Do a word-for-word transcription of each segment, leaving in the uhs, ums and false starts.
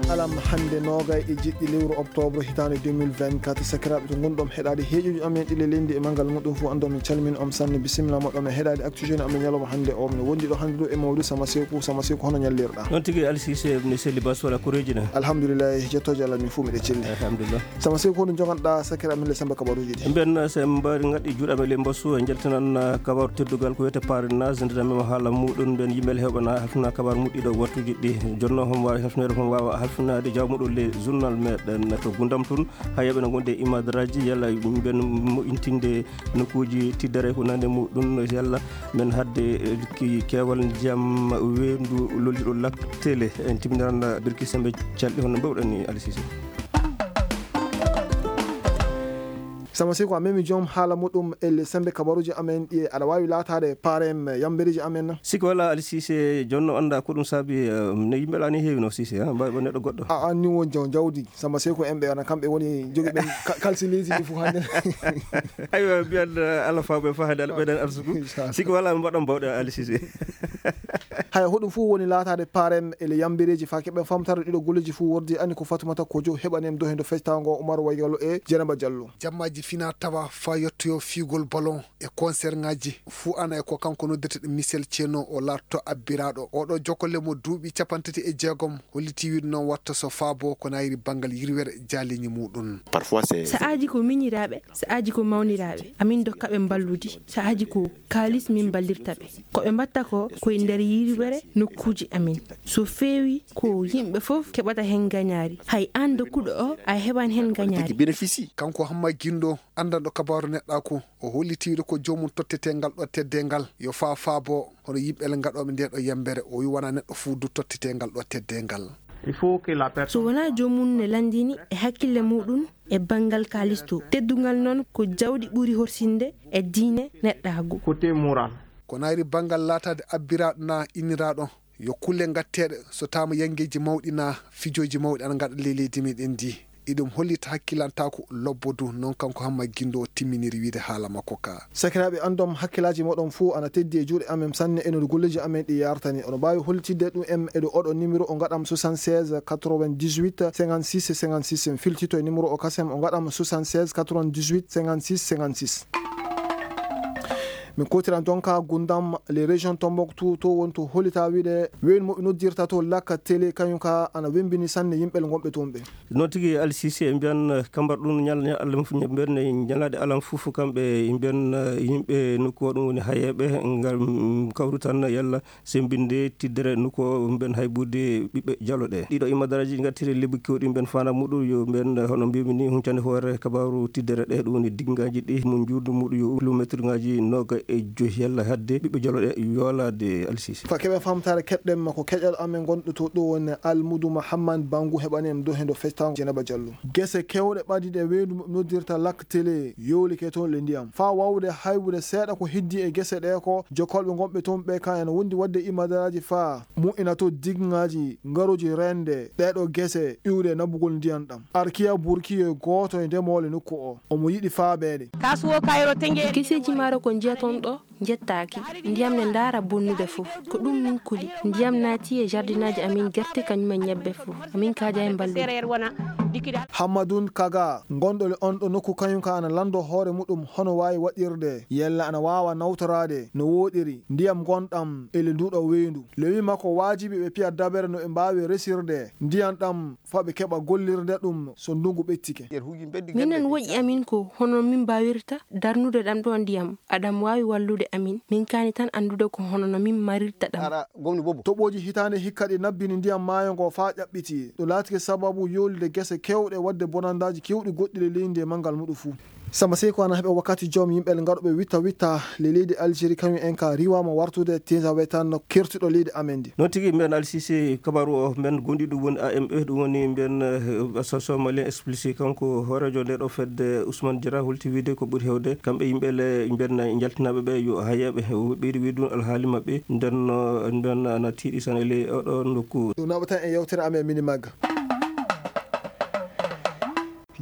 Alam hannde noogay e jeɗɗi lewru oktoobre hitaande deux mille vingt-quatre, sakiraaɓe to ngonɗon heɗaade heeƴuuji amen ɗi ley leydi e manngal muɗum fuu, anndon min calmini on sanne, bisimilla moɗon e heɗaade Actu Jeune amen ñalawma hannde o. Mino wondi ɗo hannde ɗo e Mawdu Sama Seeku. Sama Seeku, hono ñallirɗaa? Noon tigi, Ali Siise, mi selli bas wala koreeji na. Alhamdulillahi, jettooje Allah min fuu miɗe celli. Alhamdulillah. Sama Seeku, hono njoganɗaa sakiraaɓe amen ley semmbe kabaruuji ɗi? Mben, eh, so en mbaari ngaɗɗi juuɗe amen ley mbasu, en njaltinan, eh, kabaaru teddungal ko wiyetee parrainage, ndeenan men haala muɗum, mben yimɓe heɓana halfina kabaaru muɗum ɗiɗo wattuuji ɗi. Jonno homo waawi halfineede, homo waawa halfinaade jawmuɗum ley journal meɗen to Gundam tun. Haa yimɓe no ngonde e imadaraaji, yalla mben moƴƴintinde nokkuuji tiddere ko nande muɗum, yalla men haɗde, eh, ki-, keewal ndiyam weendu lolliɗo Lac Télé. En timminan birki semmbe calɗi hono mbaawɗen ni, Ali Siise. Sama Seeku, a memi joom haala muɗum e ley semmbe kabaruuji amen ɗi, aɗa waawi laataade parrain yambereeji amen na? Sikke walaa, Ali Siise, jooni non anndaa ko ɗum saabi, eh, no yimɓe laa ni heewi no, Siise, ha, mbaawi ɓe neɗɗo goɗɗo. A, an ni won jaw-, jawdi. Sama Seeku en ɓe, ana kamɓe woni jogi ɓen ka-, kalsi leydi ndi fof hannde. Aywa, mbiyan, eh, Allah faabu en faa hannde, Allah ɓeydan arsuku. Inchallah. Sikke walaa, mbaɗan mbaawɗe, Ali Siise. Haya, hoɗum fof woni laataade parrain e ley yambereeji faa keɓen famtaare ɗiɗo golleeji fof wordi, ani ko Fatumata Kojo heɓani en dohendo fectaango Umar Waygalo e Jenaba Jallo. Jammaaji fina tawa faa yottoyoo fiigol ballon e konserŋaaji fuu ana e ko kanko noddirta ɗum Michel Ceno o laatto abbiraaɗo. Oɗo jokolle mo duuɓi cappanɗe tati e jeegom hollitii wiide noon watta so faabo ko naayiri banngal yirwere jaaliiñi muuɗum. Parfois, c'est... Sa'aaji ko miñiraaɓe, sa'aaji ko mawniraaɓe. Amin ndokka ɓe mballuudi. Sa'aaji ko kaalis min mballirta ɓe. Ko ɓe mbaɗta ko, ko e nder yirwere nokkuuji amin. So feewii, ko yimɓe fof keɓata heen ngañaari. Hay aan dokkuɗo o, a heɓan heen ngañaari. Kanko Hamma Gindo, anndanɗo kabaaru neɗɗaaku, o hollitii wiide ko joomum tottetee ngal ɗoo teddeengal, yo faa faabo hono yimɓe ngaɗooɓe ndee ɗoo yambere. O wiyi wanaa neɗɗo fuu du tottetee ngal ɗoo teddeengal. So wanaa joomum ne lanndini e hakkille muuɗum e banngal kaalis too. Teddungal noon ko jawdi ɓuri horsinde e diine neɗɗaagu. Ko naayri banngal laataade abbiraaɗo naa inniraaɗo, yo kulle ngatteeɗe so taama yanngeeji mawɗi naa fijooji mawɗi ana ngaɗa ley leydi meɗen ndi. Iɗum hollita hakkilantaaku lobbo du, noon kanko Hamma Gindo timminiri wiide haala makko ka. Sakiraaɓe, anndon hakkillaaji mooɗon fuu ana teddi e juuɗe amen sanne e no golleeji amen ɗi yaartani. Oɗon mbaawi hollitinde ɗum en e ɗo oɗo nimero o ngaɗam soixante-seize quatre-vingt-dix-huit cinquante-six cinquante-six. Filtito e nimero o kasem o ngaɗam soixante-seize quatre-vingt-dix-huit cinquante-six cinquante-six. Min kootiran jonka Gundam, les régions Tombouctou, to woni to hollitaa wiide weeyo mo ɓe noddirta to Lac Télé, kañum ka ana wembini sanne yimɓe ngonɓe toon ɓe. Noon tigi, Ali Siise, en mbiyan, eh, kambar ɗum ñal-, ñal-, Allah fof, mbiyan, eh, ñalaaɗe alam fof kamɓe, mbiyan, eh, yimɓe nokku o ɗum woni hayeeɓe, ngal, mm, kawru tan yalla semmbinde tiddere nokku o, mbiyan haybude ɓiɓɓe jalo ɗe. Ɗiɗo imadaraaji ngattiri lebbi keewɗi mbiyan faandaa muɗum yo mbiyan, eh, hono mbiymi ni, huncande hoore kabaaru tiddere ɗe, ɗum woni diggaaji ɗi mo njuuɗu muɗum yo kilomeetirŋaaji nooga e joy yalla hadde ɓiɓɓe jalo ɗe yoolaade, Ali Siise. Fa keɓe famtaare keɗɗen ma ko keƴal amen gonɗo to ɗo woni Almudu Mahamman Bangu heɓani en dow hendo festango Jenaba Jallo. Gese kewɗe ɓadiiɗe weendu noddirta Lac Télé yoolike toon le ndiyam. Faa waawude haybude seeɗa ko heddii e gese ɗee ko, jokkolɓe gonɓe toon ɓee kan ena wondi waɗde imadaraaji faa moƴƴina to diggaaji ngarooji reende ɗee ɗoo gese iwde naɓugol ndiyam ɗam. Arkiya Burki yo gooto e ndemoole nokku oo. Omo yiɗi faabeede. Geseeji maaro ko njiyaton ɗoo njettaaki. Ndiyam ne ndaara bonnude fof. Ko ɗum min kuli. Ndiyam naati e jardinaaji amin gerte kañum e ñebbe fof. Amin kaaja e mballude. Hammadun Kaga, gonɗo le on ɗo nokku kañum ka ana lanndo hoore muɗum hono waawi waɗirde. Yalla ana waawa nawtoraade no wooɗiri ndiyam ngonɗam e le nduu ɗoo weendu. Le wii makko waajibi ɓe piya dabere no ɓe mbaawi resirde ndiyam ɗam faa ɓe keɓa gollirde ɗum so ndunngu ɓettike. Minen woƴi amin ko hono min mbaawirta darnude ɗam ɗoo ndiyam. Aɗam waawi wallude amin. Min kaani tan anndude ko hono no min marirta ɗam. Toɓooji hitaande hikka ɗi nabbini ndiyam maayo ngoo faa ƴaɓɓiti. Ɗum laatike sababu yoolude gese keewɗe waɗde bonandaaji keewɗi goɗɗi le leydi e manngal muɗum fuu. Samba Seyko ana heɓa wakkati joom yimɓe ngaɗooɓe witta witta le leydi Algérie, kañum en ka riiwaama wartude Tinzaouétane kertuɗo leydi amen ndi. Noon tigi, mbiyan Ali Siise, kabaaru o men gonɗi ɗum woni A M E, ɗum woni mbiyan, eh, Association Malien Explicit, kanko hooreejo ndee ɗoo fedde Ousmane Diarra holti wiide ko ɓuri heewde kamɓe yimɓe le mbiyan njaltinaaɓe ɓe yo hayeeɓe, o ɓeydi wiide ɗum alhaali maɓɓe nden no mbiyan ana tiiɗi sanne ley oɗo nokku. Ɗum naɓatan e yewtere amen mini magga.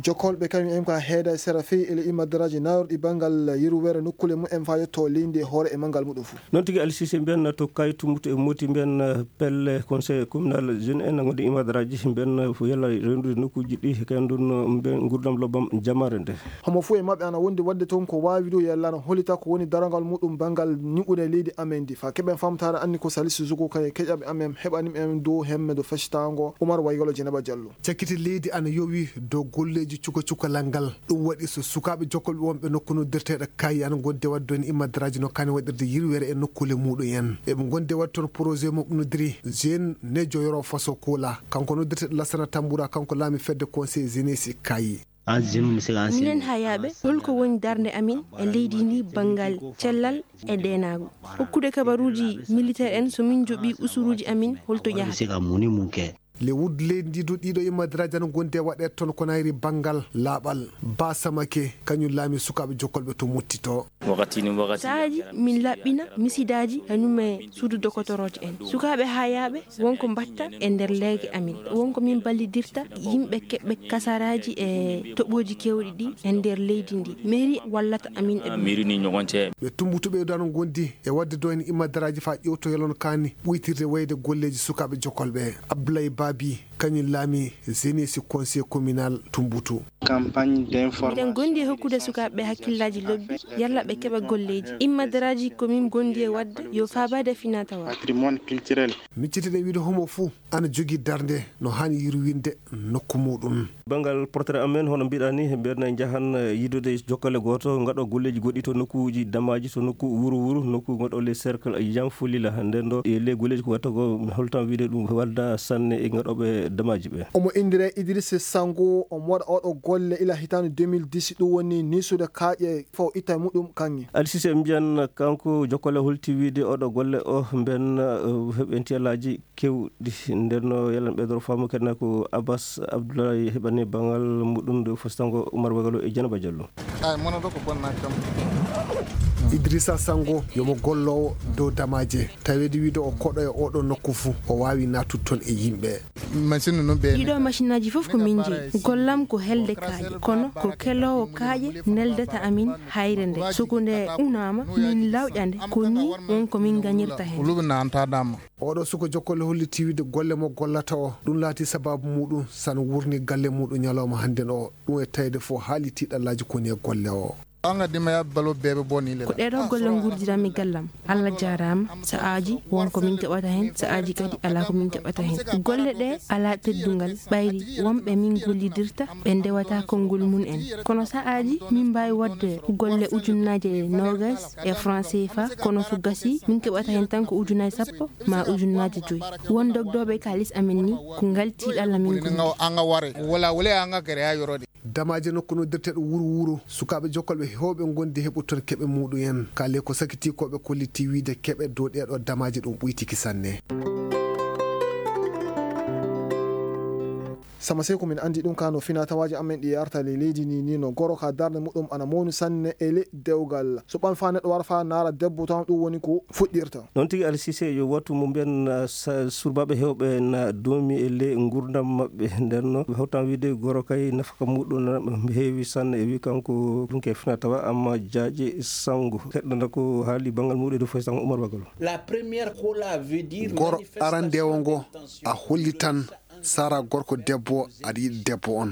Jokkolɓe kañum en ko heeda e sera fey e ley immadaraaji nayorɗi banngal yeru were nokkuule mum en faa yetto leydi e hoore e manngal muɗum fof. Noon tigi Alsise mbiyan to kaytu mutu e moti mbiyan pelle conseil communal jeune en ngonde immadaraaji mbiyan yalla renndude nokkuuji ɗi kañum ɗum mbiyan nguurndam lobbam jamaare nde. Homo fof e maɓɓe ana wondi waɗde toon ko waawi ɗum yalla ana hollita ko woni darangal muɗum banngal ñiɓude leydi amen ndi faa keɓen famtaare anni ko Salisu Zugu kañum e keƴaɓe amen heɓani en dow hemme dow fectaango Umar Waygalo Jenaba Jallo. Cakkite leydi ana yowi dow golleeji cuka cukalal ngal. Ɗum waɗi so sukaaɓe jokkolɓe wonɓe nokku noddirteeɗo Kaayi ana ngondi e waɗde toon immadaraaji no kaani waɗirde yirwere e nokkuule muuɗum en. Eɓe ngondi e waɗde toon projet mo ɓe noddiri Jeune Nejo Yoro Faso Kola. Kanko noddirteeɗo Lassana Tambura, kanko laami fedde Conseil Jeunesse Kaayi. Minen hayaaɓe, holko woni darnde amin e leydi ndi banngal cellal e deenaagu? Hokkude kabaruuji militeer en, so min njoɓii usuruuji amin, holto yahata? Le wuddu leydi ndi du ɗiɗo immadaraaji ana ngondi e waɗeede toon ko nayri banngal laaɓal. Ba Samake, kañum laami sukaaɓe jokkolɓe to Motti to. Sahaaji min laɓɓina misidaaji kañum e suudu dokotoroojo en. Sukaaɓe hayaaɓe won ko mbaɗta e nder leege amin. Won ko min ballidirta yimɓe keɓɓe kasaraaji e toɓooji keewɗi ɗi e nder leydi ndi. Mairie wallata amin e ɗum. Ɓe Tumbutu ɓeydo ana ngondi e waɗde do en immadaraaji faa ƴeewto yalon kaani ɓuytirde wayde golleeji sukaaɓe jokkolɓe. Abdoulaye Babi, kañum laami Jeunesse Conseil Communal Tumbutu. Miɗen gondi e hokkude sukaaɓe ɓe hakkillaaji lobbi, yalla ɓe keɓa golleeji. Immadaraaji ko min gondi e waɗde yo faabaade e finaa-tawaa. Miccitiɗen wiide homo fuu ana jogii darnde no haani yirwinde nokku muuɗum. Banngal portrait amen, hono mbiɗaa ni, mbiɗen njahan, eh, yidude jokkale gooto, ngaɗo golleeji goɗɗi to nokkuuji damaaji, to nokku wuro wuro, nokku ngaɗo le cercle Yanfolila. Nden ɗo, e le golleeji ko watta ko, mi holtan wiide ɗum wadda sanne e ngaɗooɓe damaaji ɓe. Omo inndiree Idrissa Sango, omo waɗa oɗo golle ila hitaande deux mille dix, ɗum woni niisude kaaƴe fo itta e muɗum kaŋŋe. Alsise mbiyan kanko jokkale holti wiide oɗo golle o mben, eh, heɓi entiyalaaji keewɗi. Nden no yalla ɓeydoro faamu kadi na ko Abbas Abdoulaye heɓani banngal muɗum nde fositango Umar Bagalo e Janaba Jallo. Ay, mono ɗo ko bonna kam. Idrissa Sango yomo golloowo dow damaaje. Taweede wiide o koɗo e oɗo nokku fuu, o waawi naatude toon e yimɓe. Machine no ɓe ɗiɗo machinaaji fof ko min njeyi. Gollam ko helde kaaƴe, kono ko keloowo kaaƴe neldata amin hayre nde. Soko nde unaama, min lawƴa nde, ko nii won ko min ngañirta heen. Luɓe na antaɗaama. Oɗo suka jokkole holliti wiide golle mo gollata o, ɗum laati sabaabu muɗum san wurni galle muɗum ñalawma hannden o. Ɗum e tawde fof haali tiiɗallaaji koni e golle o. Anga dima ya balo bebe boni le. Ko ɗeɗo golle ngurdiranmi gallam. Allah jaaraama. Sa'aaji won ko min keɓata heen, sa'aaji kadi alaa ko min keɓata heen. Golle ɗe alaa teddungal, ɓayri wonɓe min gollidirta, ɓe ndewata konngol mum en. Kono sa'aaji min mbaawi waɗde golle ujunnaaje noogas e franc C F A, kono so gasii, min keɓata heen tan ko ujunnaaje sappo maa ujunnaaje joy. Won dogdooɓe kaalis amen ni, ko ngal tiiɗalla min gondi. Anga ware, wala wala anga gere ha yorode. Damaaje nokku noddirteeɗo wuro wuro, sukaaɓe jokkolɓe heewɓe ngondi heɓude toon keɓe muɗum en. Kaale ko sakitii ko ɓe kolliti wiide keɓe dow ɗeeɗo damaaje ɗum ɓuytiki sanne. Sama sey ko min anndi ɗum ka no finaa tawaaji amen ɗi arta ley leydi ni, ni no goro ka darnde muɗum ana mawni sanne e ley dewgal. So ɓan faa neɗɗo wara faa naara debbo tan ɗum woni ko fuɗɗirta. Noon tigi Alsise yo wattu mo mbiyan, ah, sa-, surbaaɓe heewɓe na doomi e ley nguurndam maɓɓe. Nden no ɓe hawtan wiide goro kay nafaka muɗum na heewi sanne e wi kanko ɗum ke fina tawa amma jaaƴe sango. Keɗɗo na ko haali banngal muɗum e dow foy sango Umar Bagalo. La première kola veut dire goro arandewo ngo a hollitan sara gorko debbo aɗa yiɗi debbo on.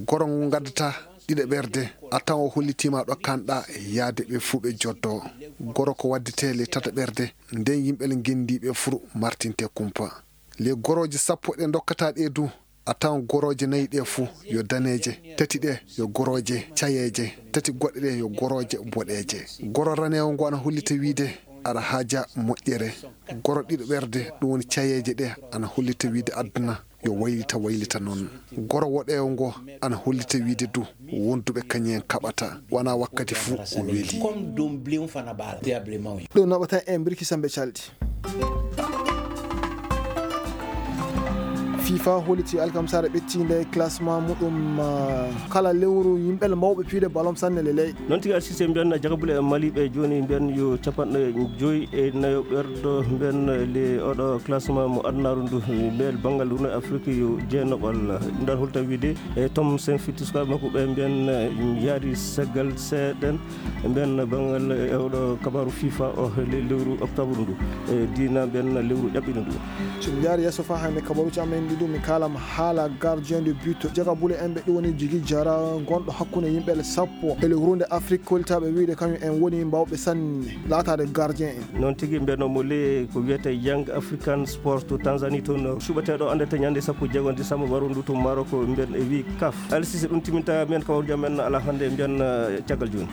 Goro ngo ngaddata ɗiɗaɓerde a tawa o hollitiima ɗo kanɗa yaade ɓe fuu ɓe joddo. Goro ko waddete le tataɓerde nden yimɓe le ngendi ɓe fuu martinte kumpa. Le gorooje sappo ɗe ndokkata ɗe du a tawan gorooje nayi ɗe fuu yo daneeje, tati ɗe yo gorooje cayeeje, tati goɗɗe ɗe yo gorooje boɗeeje. Goro raneewo ngo ana hollita wiide aɗa haaja moƴƴere. Goro ɗiɗaɓerde ɗum woni cayeeje ɗe ana hollita wiide aduna yo waylita waylita noon. Goro woɗeewo ngo ana hollita wiide du wonduɓe kañum en kaɓata wona wakkati fuu o weli. Ɗum naɓata en birki sambe calɗi. Fifa holliti alkamsaare ɓettiinde classement muɗum, ah, kala lewru yimɓe mawɓe piide ballon sanne le ley. Noon tigi, Alsise, mbiyen jagabule e Mali ɓe jooni, mbiyen yo capanɗe joyi e nayo ɓerɗo, mbiyen le oɗo classement mo adunaaru ndu, mbiyen banngal Rune Afrique yo jeenaɓal. Ɗum ɗon holta wiide e Tom Sen fitti sukaaɓe makko ɓe, mbiyen yaari seggal seeɗen. Mbiyen banngal e oɗo kabaaru Fifa o, le lewru octobre ndu, e diina mbiyen lewru ƴaɓɓiɗo ndu. So min njaari yeeso faa hannde kabaruuji amen ɗi ɗum, min kaalam haala gardien de but. Jagabule en ɓe ɗum woni Jigi Jara, gonɗo hakkunde yimɓe sappo e le Rune Afrique, kollitaaɓe wiide kañum en woni mbawɓe sanne laataade gardien en. Noon tigi, mbiyen mo le ko wiyetee Young African Sport to Tanzanie toon, suɓeteeɗo anndete ñande sappo e jeego disamba waru ndu to Maroc, mbiyen e wii kaf. Alsise, ɗum timinta mbiyen kabaruuji amen alaa hannde, mbiyen, eh, caggal jooni.